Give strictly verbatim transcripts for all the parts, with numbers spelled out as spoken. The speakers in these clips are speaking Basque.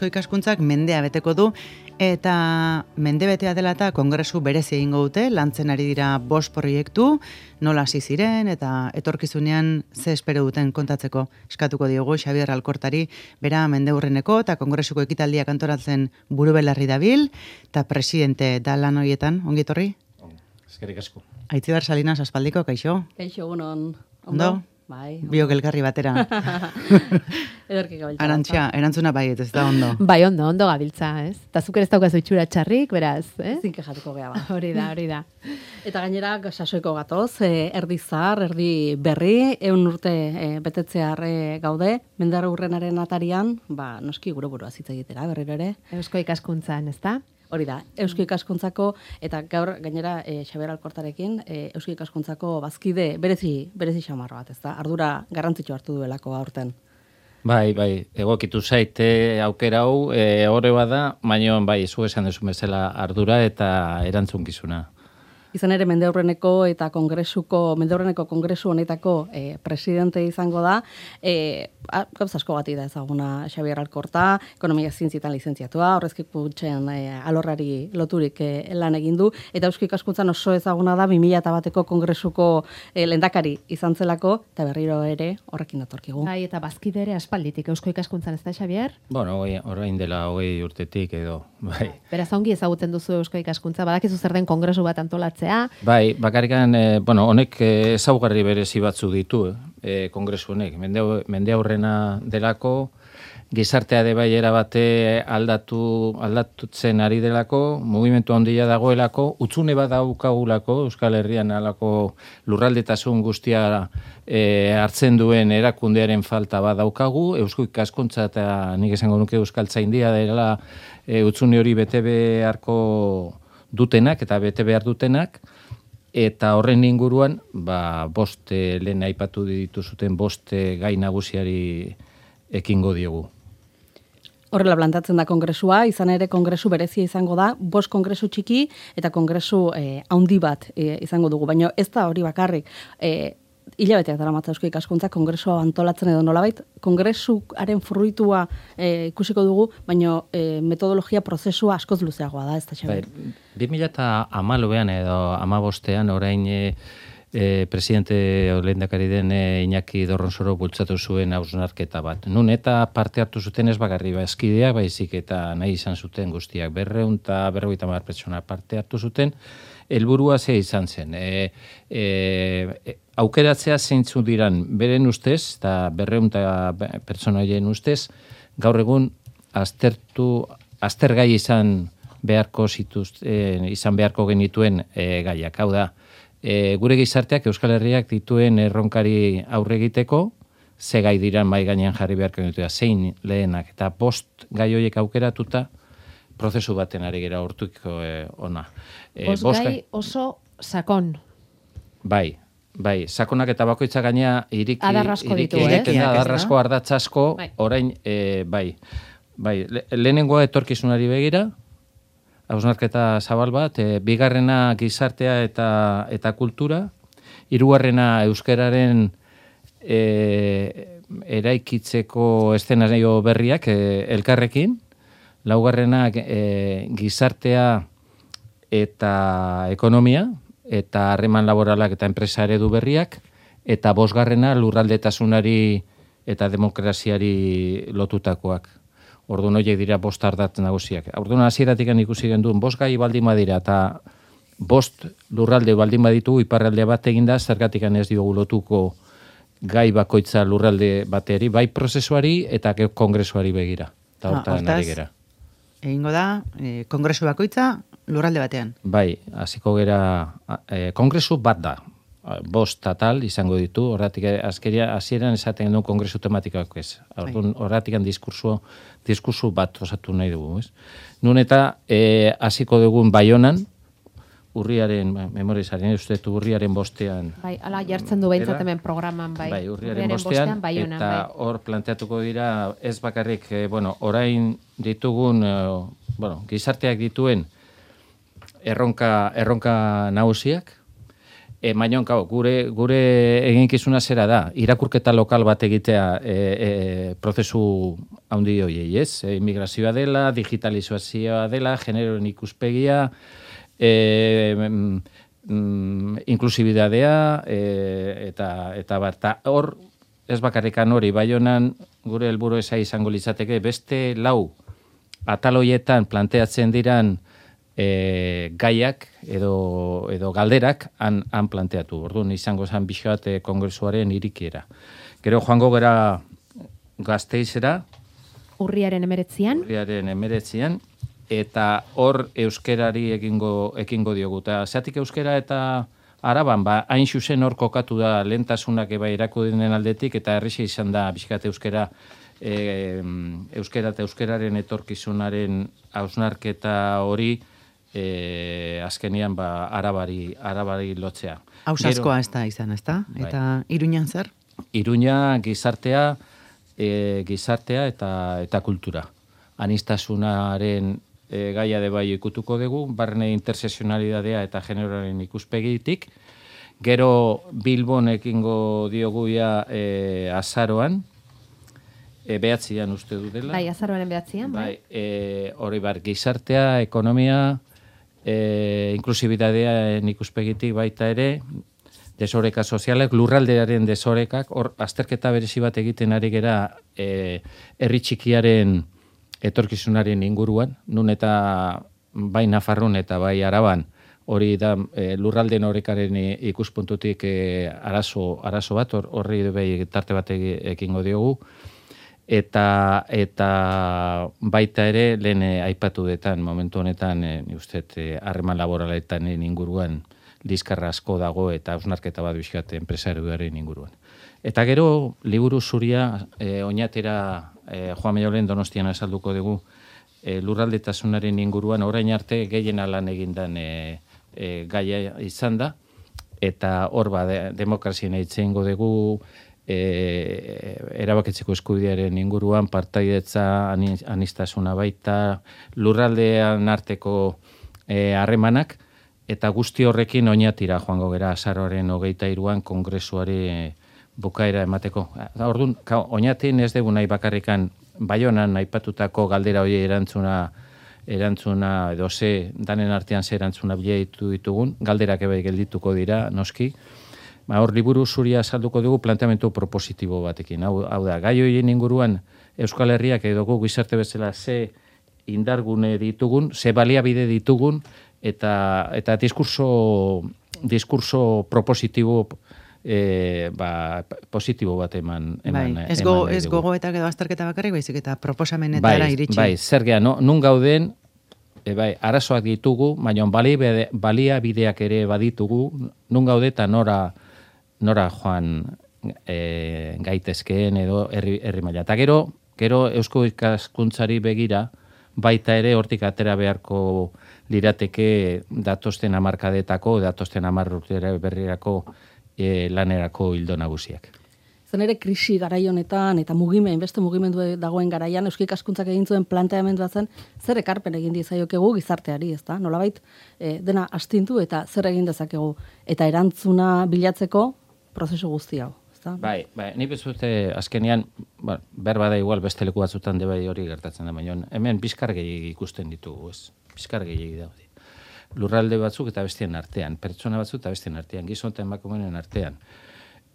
Ikaskuntzak mendea beteko du eta mende betea dela eta kongresu berezi egingo dute, lantzen ari dira bost proiektu, nola hasi ziren eta etorkizunean ze espero duten kontatzeko eskatuko diogu Xabier Alkortari, bera mendeurreneko eta kongresuko ekitaldiak antolatzen burubelarri dabil eta presidente da lan horietan, ongi etorri? Eskerrik asko. Aitziber Salinas aspaldiko, kaixo? Kaixo, egunon. Ondo? Bai. Biok elkarri batera. Ederki gabiltza. Arantxa, erantzuna baiet, ez da ondo. Bai, ondo, ondo gabiltza, ez? Eta zuk ere ez daukazu itxura txarrik, beraz, eh? Zinke jatuko geha ba. Hori da, hori da. Eta gainera, sasoiko gatoz, eh, erdi zahar, erdi berri, eun urte eh, betetzear eh, gaude, mendar urrenaren atarian, ba, noski gure burua zitza egitera, berriro ere. Eusko ikaskuntzan, ez da? Hori da, Eusko ikaskuntzako, eta gaur gainera e, Xabier Alkortarekin, e, Eusko ikaskuntzako bazkide berezi, berezi xamar bat, ez da? Ardura garrantzitsu hartu duelako aurten. Bai, bai, egokitu zaite aukera hau, e, horre bada, baina bai, zu esan duzu bezala ardura eta erantzunkizuna. Izan ere mendeurreneko eta kongresuko, mendeurreneko kongresu honetako e, presidente izango da, e, gauza asko bati da ezaguna Xabier Alkorta, ekonomia zientzietan lizentziatua, horrezki kutxen e, alorrari loturik e, lan egin du, eta Eusko ikaskuntzan oso ezaguna da bi mila bateko kongresuko e, lehendakari izan zelako, eta berriro ere horrekin datorkigu. Bai, eta bazkide ere aspalditik Eusko ikaskuntzan, ez da, Xabier? Bueno, orain dela hogei urtetik edo, bai. Beraz, ongi ezagutzen duzu Eusko ikaskuntza, badakizu zer den kongresu bat antolatzea. Bai, bakarrikan, eh, bueno, honek ezaugarri berezi batzu ditu, eh, kongresu honek. Mende, mende aurrena delako, gizartea de bai erabate aldatu, aldatutzen ari delako, mugimendu handia dagoelako, utzune bat daukagulako, Euskal Herrian alako lurraldetasun guztia e, hartzen duen erakundearen falta bat daukagu, Eusko ikaskuntza eta nik esango nuke Euskaltzaindia dela e, utzune hori bete beharko dutenak eta bete behar dutenak, eta horren inguruan, ba, bost eh, lehen aipatu dituzuten bost eh, gai nagusiari ekingo diogu. Horrela plantatzen da kongresua, izan ere kongresu berezia izango da, bost kongresu txiki eta kongresu eh, handi bat eh, izango dugu, baina ez da hori bakarrik. Eh, hilabeteak dara matza Eusko ikaskuntza kongresua antolatzen edo nolabait, kongresuaren fruitua e, ikusiko dugu, baina e, metodologia prozesua askoz luzeagoa da, ez da Xabier? bi mila hamalauean edo hamabostean orain e, e, presidente lehendakari den e, Iñaki Dorronsoro bultzatu zuen hausnarketa bat. Nun eta parte hartu zuten ez bakarri bazkideak, baizik eta nahi izan zuten guztiak berrehun eta berrogeita hamar pertsona parte hartu zuten, helburua ze izan zen. E, e, aukeratzea zeintzu diran beren ustez, eta berrehun eta pertsona horien ustez, gaur egun aztertu, aztergai izan beharko zituz, e, izan beharko genituen e, gaiak. Hau da, e, gure gizarteak Euskal Herriak dituen erronkari aurre egiteko, ze gai diran mai gainean jarri beharko genituen, zein lehenak, eta bost gai horiek aukeratuta, prozesu baten ari gera hortuko e, ona. E, bost gai oso sakon. Bai, bai, sakonak eta bakoitza gaina iriki, adarrasko iriki ditu, egiten eh? da, adarrasko, ardatzasko, bai. Orain, e, bai, bai, le, lehenengoa etorkizunari begira, hausnarketa zabal bat, e, bigarrena gizartea eta, eta kultura, hirugarrena euskararen e, eraikitzeko eszenario berriak e, elkarrekin, laugarrena e, gizartea eta ekonomia, eta harreman laboralak eta enpresa eredu berriak, eta bosgarrena lurraldetasunari eta demokraziari lotutakoak. Orduan horiek dira bost ardatz nagusiak. Orduan hasieratik ikusi genduen bost gai baldin badira eta bost lurralde baldin baditu iparralde bat eginda, zergatik ez diogu lotuko gai bakoitza lurralde bateri, bai prozesuari eta kongresuari begira. Eta hortan ari gera. Egingo da, e, kongresu bakoitza lurralde batean. Bai, hasiko gera, e, kongresu bat da, bost tal izango ditu, horretik azkeria hasieran esaten du kongresu tematikoak ez. Horretik diskurso, diskurso bat osatu nahi dugu, ez? Nun eta e, hasiko dugun Baionan, urriaren, memorizaren, uste du urriaren bostean. Bai, ala jartzen du behintzat hemen programan, bai. Bai, urriaren, urriaren bostean, bostean Baionan, eta bai. Hor planteatuko dira, ez bakarrik, eh, bueno, orain ditugun, eh, bueno, gizarteak dituen erronka, erronka nagusiak, E, Mainon, kau, gure, gure eginkizuna zera da, irakurketa lokal bat egitea e, e, prozesu handi hoiei, ez? E, immigrazioa dela, digitalizazioa dela, generoen ikuspegia, e, mm, inklusibidadea, e, eta, eta bat, hor, ez bakarrikan hori, Baionan gure helburu eza izango litzateke, beste lau ataloietan planteatzen diran E, gaiak edo, edo galderak han, han planteatu. Orduan izango zen pixkat e, kongresuaren irikiera. Gero joango gara Gasteizera. Urriaren emeretzian. Urriaren emeretzian. Eta hor euskerari ekingo, ekingo diogu. Eta zeatik euskera eta Araban, ba, hain zuzen hor kokatu da lehentasunak eba irakudinen aldetik, eta errexe izan da pixkat euskera e, euskera eta euskeraren etorkizunaren hausnarketa hori E, azkenian ba, arabari, arabari lotzea. Hausaskoa ez da izan, ez da? Bai. Eta Iruñan zer? Iruña gizartea, e, gizartea eta, eta kultura. Anistasunaren e, gaia de bai ikutuko dugu, barne interseksionalidadea eta generoaren ikuspegitik. Gero Bilbon ekingo dioguia e, azaroan, e, behatzian uste du dela. Bai, azaroaren behatzian. Bai, e, hori bar, gizartea, ekonomia, E, inklusibitatean ikuspegitik baita ere, desoreka sozialak, lurraldearen desorekak, hor azterketa berezi bat egiten ari gera e, herri txikiaren etorkizunaren inguruan, nun eta bai Nafarroan eta bai Araban, hori da e, lurraldeen orekaren ikuspuntutik e, arazo, arazo bat, horri or, bai tarte bat ekingo diogu, eta eta baita ere lehen eh, aipatu detan momentu honetan eh, ni uste harreman laboraletan inguruan liskarra asko dago eta hausnarketa bat bizkat enpresarioaren inguruan. Eta gero liburu zuria eh, oinatera eh, Juan Mayolen Donostian azalduko dugu eh, lurraldetasunaren inguruan orain arte gehien lan egindan eh, eh, gaia izan da eta hor ba de, demokrazien eitzeingo dugu E, erabakitzeko eskubidearen inguruan partaidetza anistasuna baita lurraldean arteko harremanak e, eta guzti horrekin oinatira joango gera azaroaren hogeita hiruan kongresuari e, bukaera emateko. Orduan, oinatin ez dugu nahi bakarrikan Baionan aipatutako galdera hori erantzuna erantzuna edo ze danen artean ze erantzuna bilatu ditugun, galderak ebe geldituko dira noski. Ba, hor liburu zuria salduko dugu planteamendu propositibo batekin. Hau, hau da, gai horien inguruan Euskal Herriak edo gu gizarte bezala ze indargune ditugun, ze baliabide ditugun, eta eta diskurso, diskurso propositibo e, ba, positibo bat eman. eman bai, ez, go, ez gogoetak edo azterketa bakarrik, baizik eta proposamenetara bai, iritsi. Bai, zer geha, no, nun gauden, e, bai, arazoak ditugu, baina baliabideak ere baditugu, nun gaude eta nora nora joan e, gaitezkeen edo herri, herri maila. Eta gero, gero eusko ikaskuntzari begira, baita ere hortik atera beharko lirateke datosten hamarkadetako, datosten hamar urtera berrirako e, lanerako hildo nagusiak. Zen ere krisi garai honetan eta mugimen, beste mugimendu dagoen garaian eusko ikaskuntzak egin zuen planteamendua zen zer ekarpen egin diezaiokegu gizarteari, ezta? Nolabait e, dena astintu eta zer egin dezakegu eta erantzuna bilatzeko prozesu guzti hau, ezta? Bai, bai, ni bezute azkenean, bueno, berba da igual beste leku batzutan de bai hori gertatzen da, baina hemen bizkar gehiegi ikusten ditugu, ez? Bizkar gehiegi daude. Lurralde batzuk eta bestien artean, pertsona batzuk eta bestien artean, gizon eta emakumeen artean.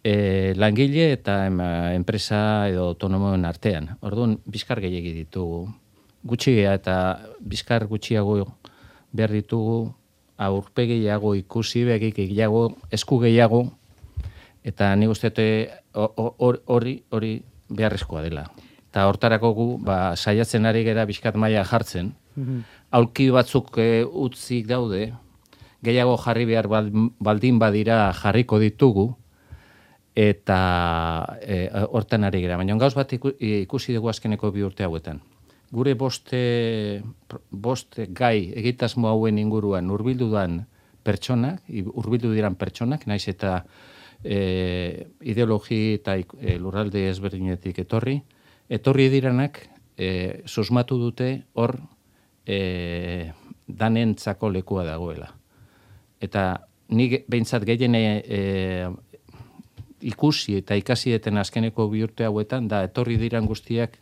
E, langile eta ema, enpresa edo autonomoen artean. Orduan, bizkar gehiegi ditugu. Gutxia eta bizkar gutxiago behar ditugu, aurpegiago ikusi, begik gehiago, esku gehiago, eta ni guztiate hori hori beharrezkoa dela. Eta hortarako gu, ba, saiatzen ari gera bizkat maila jartzen, mm-hmm. aulki batzuk e, utzik daude, gehiago jarri behar baldin badira jarriko ditugu, eta e, hortan ari gera. Baina gauz bat ikusi dugu azkeneko bi urte hauetan. Gure boste, boste gai egitasmo hauen inguruan hurbildudan pertsonak, hurbildu diran pertsonak, naiz eta e, ideologi eta e, lurralde ezberdinetik etorri, etorri diranak e, susmatu dute hor e, danentzako lekua dagoela. Eta nik behintzat gehien e, ikusi eta ikasi eten azkeneko bi urte hauetan, da etorri diran guztiak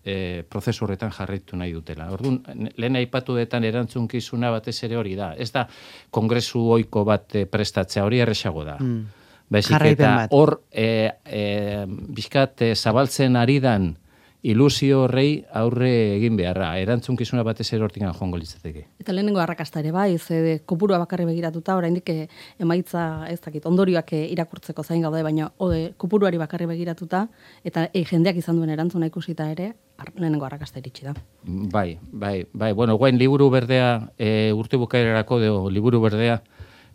e, prozesu horretan jarraitu nahi dutela. Orduan, lehen aipatu detan erantzunkizuna batez ere hori da. Ez da kongresu ohiko bat e, prestatzea, hori erresago da. Mm. Baizik eta hor e, e, bizkat e, zabaltzen ari dan ilusio horrei aurre egin beharra. Erantzunkizuna batez ere hortikan joango litzateke. Eta lehenengo arrakasta ere bai, ze kopurua bakarri begiratuta, oraindik emaitza ez dakit, ondorioak irakurtzeko zain gaude, baina ode, kopuruari bakarri begiratuta, eta e, jendeak izan duen erantzuna ikusita ere, ar, lehenengo arrakasta iritsi da. Bai, bai, bai. Bueno, guain liburu berdea, e, urte bukaerarako deo, liburu berdea,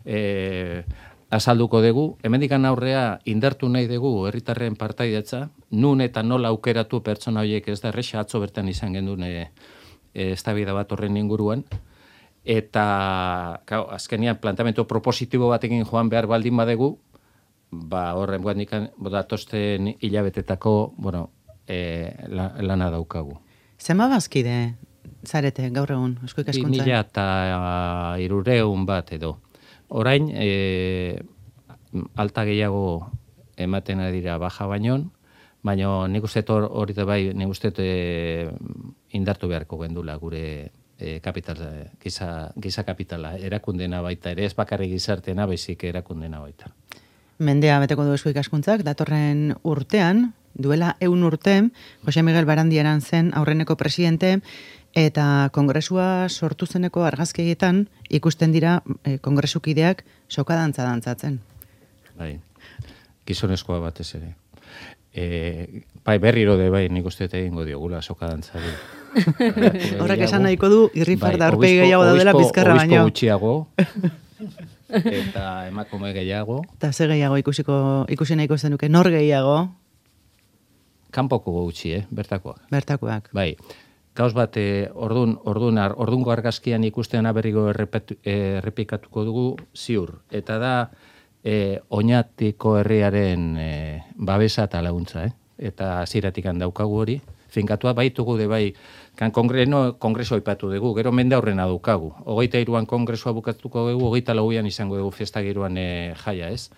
e, azalduko dugu, hemendikan aurrea indartu nahi dugu herritarren partaidetza, nun eta nola aukeratu pertsona horiek ez da erresa, atzo bertan izan gendun e, e, eztabaida bat horren inguruan, eta kau, azkenian plantamentu propositibo batekin joan behar baldin badegu, ba horren guandikan datosten hilabetetako, bueno, e, la, lana daukagu. Zema bazkide zarete gaur egun, Eusko Ikaskuntzan? Mila eta hirureun bat edo. Orain, e, alta gehiago ematen dira baja bainon, baina nik uste hori da bai, nik uste e, indartu beharko gendula gure e, kapital, giza, giza kapitala, erakundena baita, ere ez bakarrik gizartena, baizik erakundena baita. Mendea beteko du Eusko Ikaskuntzak, datorren urtean, duela eun urte, Jose Miguel Barandiaran zen aurreneko presidente, eta kongresua sortu zeneko argazkietan ikusten dira e, kongresukideak sokadantza dantzatzen. Bai, gizonezkoa batez ere. E, bai, berriro de bai, nik uste egingo diogula sokadantzari. Horrek esan nahiko du, irrifar da aurpegi gehiago daudela bizkarra baino. Obispo gutxiago, eta emakume gehiago. Eta ze gehiago ikusiko, ikusi nahiko zenuke, nor gehiago? Kanpoko gutxi, eh, bertakoak. Bertakoak. Bai. Gauz bat, e, ordun, ordun, ordungo argazkian ikusten aberrigo errepetu, errepikatuko dugu ziur. Eta da, e, Oñatiko herriaren e, babesa eta laguntza, eh? Eta hasieratik daukagu hori. Finkatua baitugu de bai, kan kongreno, kongreso aipatu dugu, gero mende aurrena daukagu. Hogeita hiruan kongresoa bukatuko dugu, hogeita lauan izango dugu festa giroan e, jaia, ez?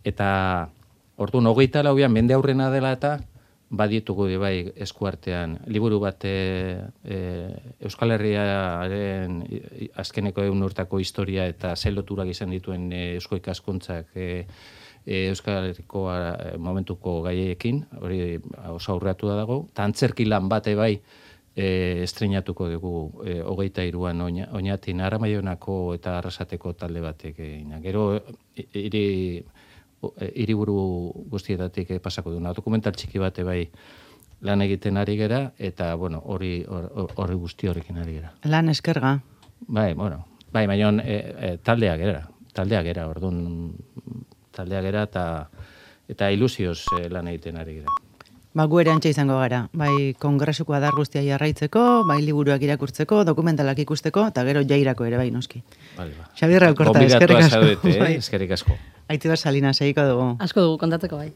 Eta, ordun, hogeita lauan mende aurrena dela eta, baditugu de bai eskuartean liburu bat e, e, Euskal Herriaren azkeneko egun urtako historia eta zeloturak izan dituen e, Eusko Ikaskuntzak e, e, Euskal Herriko a, momentuko gaiekin, hori oso aurreatu da dago, eta antzerki lan bate bai e, estreinatuko dugu e, hogeita hiruan oina, Oñatin Aramaionako eta Arrasateko talde batek egina. Gero hiri hiriburu guztietatik pasako duna. Dokumental txiki bate bai lan egiten ari gera, eta, bueno, hori hori guzti horrekin ari gera. Lan eskerga. Bai, bueno, bai, baina e, e, taldeak gera, taldeak gera, orduan taldeak gera, eta, eta ilusioz e, lan egiten ari gera. Ba, gu ere antxe izango gara, bai kongresuko adar guztia jarraitzeko, bai liburuak irakurtzeko, dokumentalak ikusteko, eta gero jairako ere bai noski. Vale, ba. Xabier Alkorta, eskerrik asko. Zaudete, eh? Eskerrik asko. Aitziber Salinas, egiko dugu. Asko dugu kontatzeko bai.